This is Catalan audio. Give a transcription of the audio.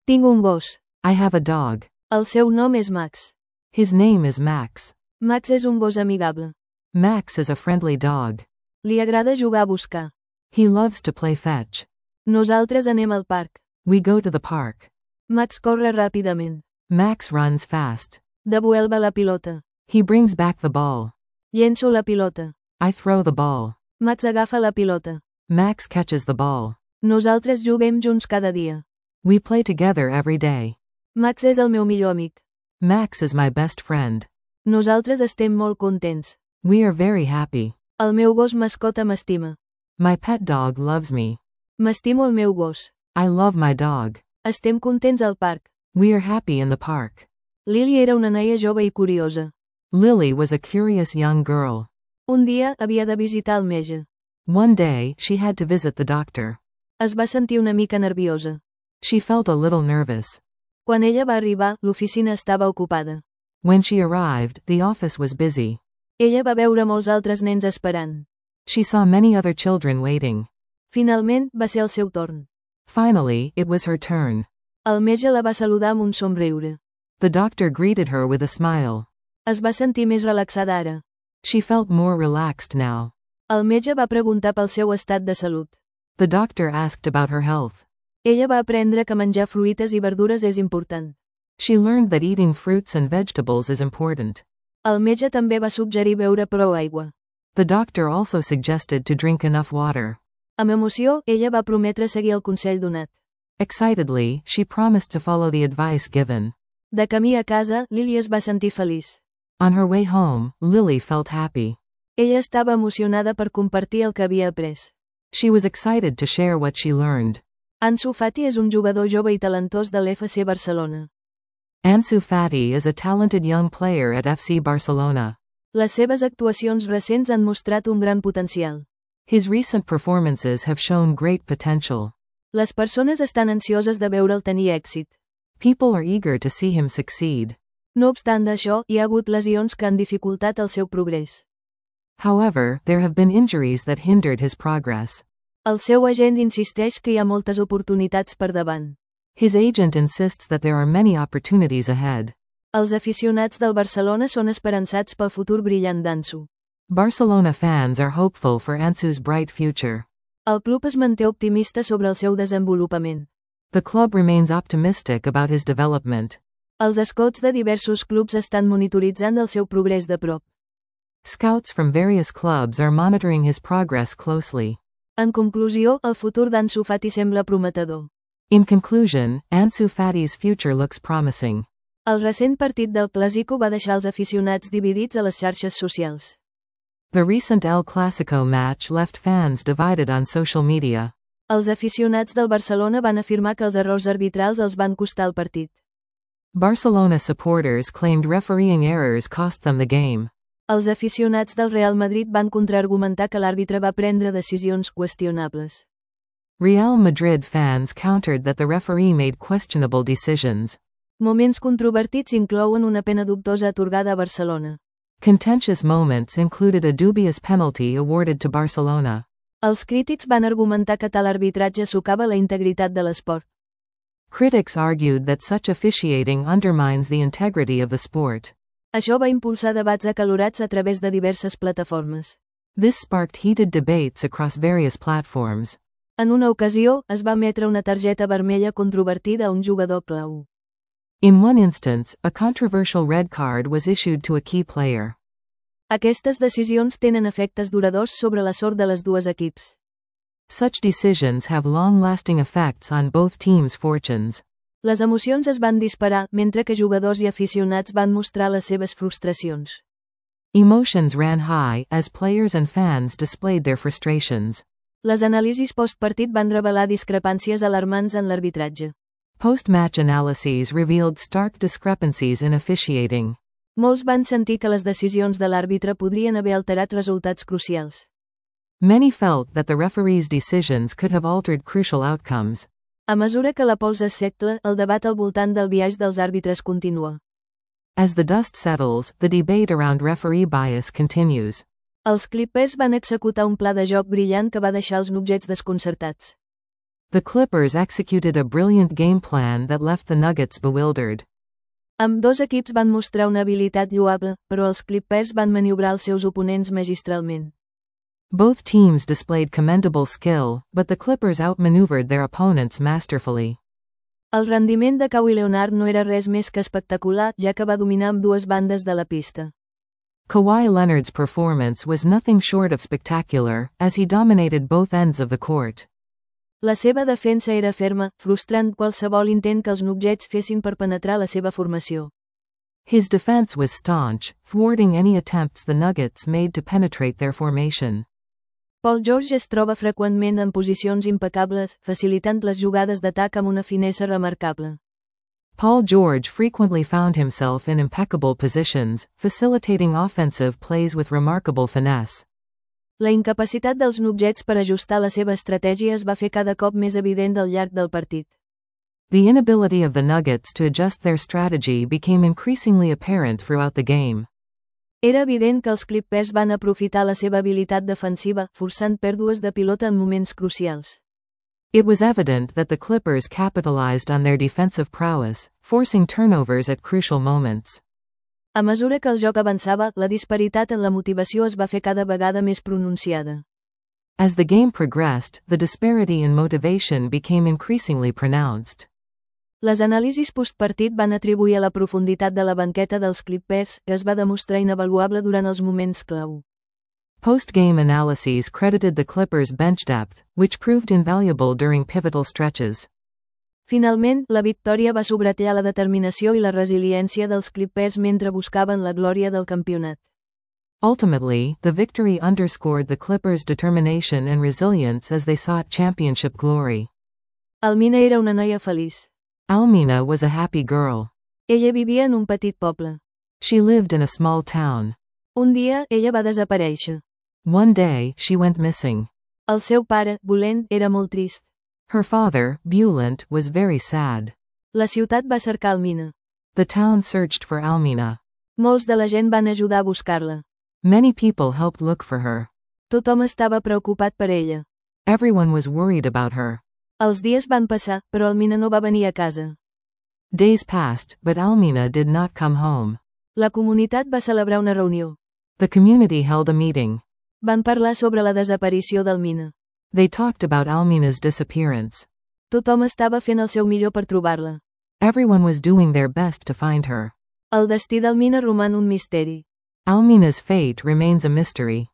Tinc un gos. I have a dog. El seu nom és Max. His name is Max. Max és un gos amigable. Max is a friendly dog. Li agrada jugar a buscar. He loves to play fetch. Nosaltres anem al parc. We go to the park. Max corre ràpidament. Max runs fast. Devuelva la pilota. He brings back the ball. Llenço la pilota. I throw the ball. Max agafa la pilota. Max catches the ball. Nosaltres juguem junts cada dia. We play together every day. Max és el meu millor amic. Max is my best friend. Nosaltres estem molt contents. We are very happy. El meu gos mascota m'estima. My pet dog loves me. M'estimo el meu gos. I love my dog. Estem contents al parc. We are happy in the park. Lily era una noia jove i curiosa. Lily was a curious young girl. Un dia havia de visitar el metge. One day, she had to visit the doctor. Es va sentir una mica nerviosa. She felt a little nervous. Quan ella va arribar, l'oficina estava ocupada. When she arrived, the office was busy. Ella va veure molts altres nens esperant. She saw many other children waiting. Finalment, va ser el seu torn. Finally, it was her turn. El metge la va saludar amb un somriure. The doctor greeted her with a smile. Es va sentir més relaxada ara. She felt more relaxed now. El metge va preguntar pel seu estat de salut. The doctor asked about her health. Ella va aprendre que menjar fruites i verdures és important. She learned that eating fruits and vegetables is important. El metge també va suggerir beure prou aigua. The doctor also suggested to drink enough water. Amb emoció, ella va prometre seguir el consell donat. Excitedly, she promised to follow the advice given. De camí a casa, Lily es va sentir feliç. On her way home, Lily felt happy. Ella estava emocionada per compartir el que havia après. She was excited to share what she learned. Ansu Fati és un jugador jove i talentós de l'FC Barcelona. Ansu Fati is a talented young player at FC Barcelona. Les seves actuacions recents han mostrat un gran potencial. His recent performances have shown great potential. Les persones estan ansioses de veure'l tenir èxit. People are eager to see him succeed. No obstant això, hi ha hagut lesions que han dificultat el seu progrés. However, there have been injuries that hindered his progress. El seu agent insisteix que hi ha moltes oportunitats per davant. His agent insists that there are many opportunities ahead. Els aficionats del Barcelona són esperançats pel futur brillant d'Ansu. Barcelona fans are hopeful for Ansu's bright future. El club es manté optimista sobre el seu desenvolupament. The club remains optimistic about his development. Els scouts de diversos clubs estan monitoritzant el seu progrés de prop. Scouts from various clubs are monitoring his progress closely. En conclusió, el futur d'Ansu Fati sembla prometedor. In conclusion, Ansu Fati's future looks promising. El recent partit del Clásico va deixar els aficionats dividits a les xarxes socials. The recent El Clásico match left fans divided on social media. Els aficionats del Barcelona van afirmar que els errors arbitrals els van costar el partit. Barcelona supporters claimed refereeing errors cost them the game. Els aficionats del Real Madrid van contraargumentar que l'àrbitre va prendre decisions qüestionables. Real Madrid fans countered that the referee made questionable decisions. Moments controvertits inclouen una pena dubtosa atorgada a Barcelona. Contentious moments included a dubious penalty awarded to Barcelona. Els crítics van argumentar que tal arbitratge socava la integritat de l'esport. Critics argued that such officiating undermines the integrity of the sport. Això va impulsar debats acalorats a través de diverses plataformes. This sparked heated debates across various platforms. En una ocasió, es va emetre una targeta vermella controvertida a un jugador clau. In one instance, a controversial red card was issued to a key player. Aquestes decisions tenen efectes duradors sobre la sort de les dues equips. Such decisions have long-lasting effects on both teams' fortunes. Les emocions es van disparar, mentre que jugadors i aficionats van mostrar les seves frustracions. Emotions ran high as players and fans displayed their frustrations. Les anàlisis postpartit van revelar discrepàncies alarmants en l'arbitratge. Post-match analyses revealed stark discrepancies in officiating. Molts van sentir que les decisions de l'àrbitre podrien haver alterat resultats crucials. Many felt that the referee's decisions could have altered crucial outcomes. A mesura que la pols es secla, el debat al voltant del biaix dels àrbitres continua. As the dust settles, the debate around referee bias continues. Els Clippers van executar un pla de joc brillant que va deixar els Nuggets desconcertats. The Clippers executed a brilliant game plan that left the Nuggets bewildered. Ambdós equips van mostrar una habilitat lloable, però els Clippers van maniobrar els seus oponents magistralment. Both teams displayed commendable skill, but the Clippers outmaneuvered their opponents masterfully. El rendiment de Kawhi Leonard no era res més que espectacular, ja que va dominar ambdues bandes de la pista. Kawhi Leonard's performance was nothing short of spectacular, as he dominated both ends of the court. La seva defensa era ferma, frustrant qualsevol intent que els Nuggets fessin per penetrar la seva formació. His defense was staunch, thwarting any attempts the Nuggets made to penetrate their formation. Paul George es troba freqüentment en posicions impecables, facilitant les jugades d'atac amb una finesa remarcable. Paul George frequently found himself in impeccable positions, facilitating offensive plays with remarkable finesse. La incapacitat dels Nuggets per ajustar la seva estratègia es va fer cada cop més evident al llarg del partit. The inability of the Nuggets to adjust their strategy became increasingly apparent throughout the game. Era evident que els Clippers van aprofitar la seva habilitat defensiva, forçant pèrdues de pilota en moments crucials. It was evident that the Clippers capitalized on their defensive prowess, forcing turnovers at crucial moments. A mesura que el joc avançava, la disparitat en la motivació es va fer cada vegada més pronunciada. As the game progressed, the disparity in motivation became increasingly pronounced. Les anàlisis postpartit van atribuir a la profunditat de la banqueta dels Clippers, que es va demostrar inavaluable durant els moments clau. Post-game analyses credited the Clippers' bench depth, which proved invaluable during pivotal stretches. Finalment, la victòria va subratllar la determinació i la resiliència dels Clippers mentre buscaven la glòria del campionat. Ultimately, the victory underscored the Clippers' determination and resilience as they sought championship glory. Almina era una noia feliç. Almina was a happy girl. Ella vivia en un petit poble. She lived in a small town. Un dia, ella va desaparèixer. One day, she went missing. El seu pare, Bulent, era molt trist. Her father, Bulent, was very sad. La ciutat va cercar Almina. The town searched for Almina. Molts de la gent van ajudar a buscar-la. Many people helped look for her. Tothom estava preocupat per ella. Everyone was worried about her. Els dies van passar, però Almina no va venir a casa. Days passed, but Almina did not come home. La comunitat va celebrar una reunió. The community held a meeting. Van parlar sobre la desaparició d'Almina. They talked about Almina's disappearance. Tothom estava fent el seu millor per trobar-la. Everyone was doing their best to find her. El destí d'Almina roman un misteri. Almina's fate remains a mystery.